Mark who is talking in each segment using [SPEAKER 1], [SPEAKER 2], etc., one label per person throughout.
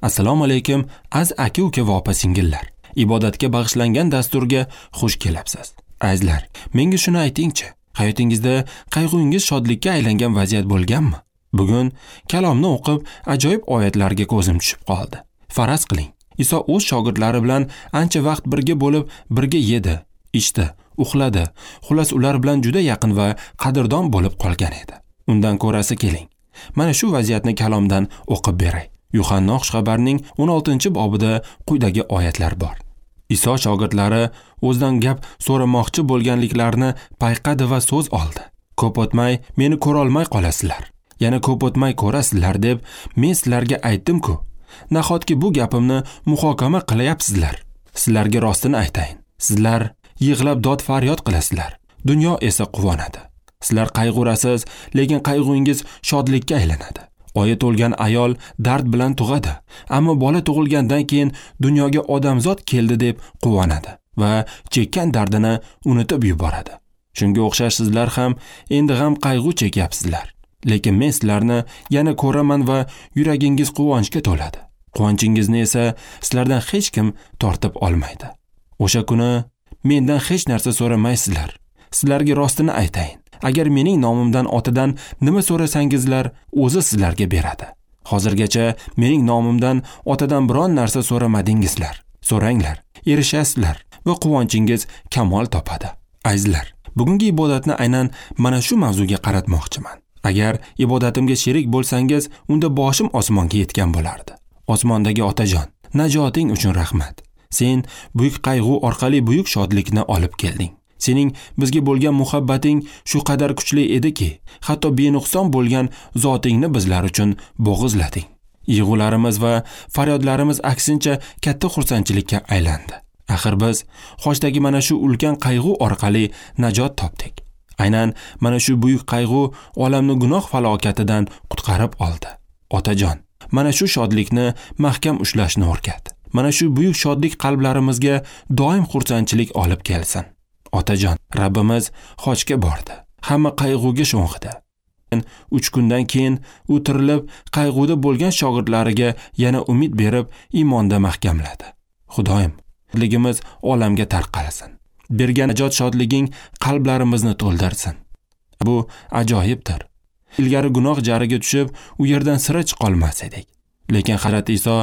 [SPEAKER 1] Assalomu alaykum, az aka-uka va opa-singillar. Ibodatga bag'ishlangan dasturga xush kelibsiz. Azizlar, menga shuni aytingchi, hayotingizda qayg'ungiz shodlikka aylangan vaziyat bo'lganmi? Bugun kalomni o'qib, ajoyib oyatlarga ko'zim tushib qoldi. Faraz qiling, Iso o'z shogirdlari bilan ancha vaqt birga bo'lib, birga yedi, ichdi, uxladi. Xullas, ular bilan juda yaqin va qadrdon bo'lib qolgan edi. Undan ko'rasi keling. Mana shu vaziyatni kalomdan o'qib beray. Yuhanna xushxabarining 16-bobida quyidagi oyatlar bor. Iso shogirdlari o'zidan gap so'ramoqchi bo'lganliklarini payqadi va so'z oldi. Ko'p o'tmay meni ko'ra olmay qolasizlar. Yana ko'p o'tmay ko'rasizlar deb men sizlarga aytdim-ku. Nahotki bu gapimni muhokama qilayapsizlar? Sizlarga rostini aytayin. Sizlar yig'lab dod faryod qilasizlar. Dunyo esa quvonadi. Sizlar qayg'urasiz, lekin qayg'ungiz shodlikka aylanadi. Oyi to'lgan ayol dard bilan tug'adi, ammo bola tug'ilgandan keyin dunyoga odamzod keldi deb quvonadi va chekkan dardini unutib yuboradi. Shunga o'xshash sizlar ham endi g'am qayg'u chekyapsizlar. Lekin men sizlarni yana ko'raman va yuragingiz quvonchga to'ladi. Quvonchingizni esa sizlardan hech kim tortib olmaydi. O'sha kuni mendan hech narsa so'ramaysizlar. Sizlarga rostini aytayin. Agar mening nomimdan otadan nima so'rasangizlar, o'zi sizlarga beradi. Hozirgacha mening nomimdan otadan biron narsa so'ramadingizlar. So'ranglar, erishasizlar va quvonchingiz kamol topadi. Azizlar, bugungi ibodatni aynan mana shu mavzuga qaratmoqchiman. Agar ibodatimga sherik bo'lsangiz, unda boshim osmonga yetgan bo'lardi. Osmondagi otajon, najoting uchun rahmat. Sen buyuk qayg'u orqali buyuk shodlikni olib kelding. Sening bizga bo'lgan muhabbating shu qadar kuchli ediki, hatto benuqson bo'lgan zotingni bizlar uchun bo'g'izlading. Yig'ularimiz va faryodlarimiz aksincha katta xursandchilikka aylandi. Axir biz xochdagi mana shu ulkan qayg'u orqali najot topdik. Aynan mana shu buyuk qayg'u olamni gunoh falokatidan qutqarib oldi. Otajon, mana shu shodlikni mahkam ushlashni o'rgat. Mana shu buyuk shodlik qalblarimizga doim xursandchilik olib kelsin. Otajon, Rabbimiz xochga bordi. Hamma qayg'uga sho'ng'idi. 3 kundan keyin u tirilib, qayg'uda bo'lgan shogirdlariga yana umid berib, iymonda mahkamladi. Xudoyim, shodligimiz olamga tarqalsin. Bergan najot shodliging qalblarimizni to'ldirsin. Bu ajoyibdir. Ilgari gunoh jariga tushib, u yerdan sira chiqolmas edik. Lekin Hazrat Iso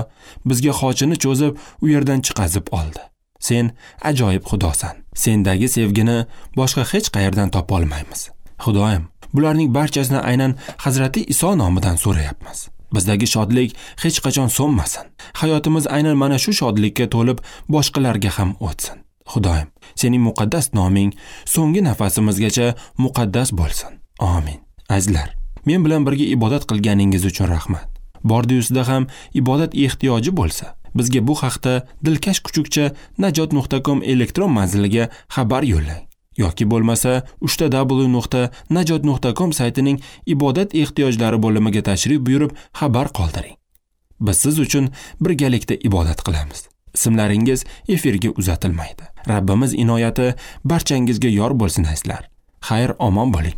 [SPEAKER 1] bizga xochini cho'zib, u yerdan chiqazib oldi. Sen ajoyib Xudosan. Sendagi sevgini boshqa hech qayerdan topa olmaymiz. Xudoyim, bularning barchasini aynan Hazrati Iso nomidan so'rayapmiz. Bizdagi shodlik hech qachon so'nmasin. Hayotimiz aynan mana shu shodlikka to'lib, boshqalarga ham o'tsin. Xudoyim, sening muqaddas noming so'nggi nafasimizgacha muqaddas bo'lsin. Amin. Azizlar, men bilan birga ibodat qilganingiz uchun rahmat. Bordi-yusida ham ibodat ehtiyoji bo'lsa, bizga bu haqda dilkash kuchukcha najot.com elektron manziliga xabar yo'llang yoki bo'lmasa www.najot.com saytining ibodat ehtiyojlari bo'limiga tashrif buyurib xabar qoldiring. Biz siz uchun birgalikda ibodat qilamiz. Ismlaringiz efirga uzatilmaydi. Rabbimiz inoyati barchangizga yor bo'lsin azizlar. Xayr, omon bo'ling.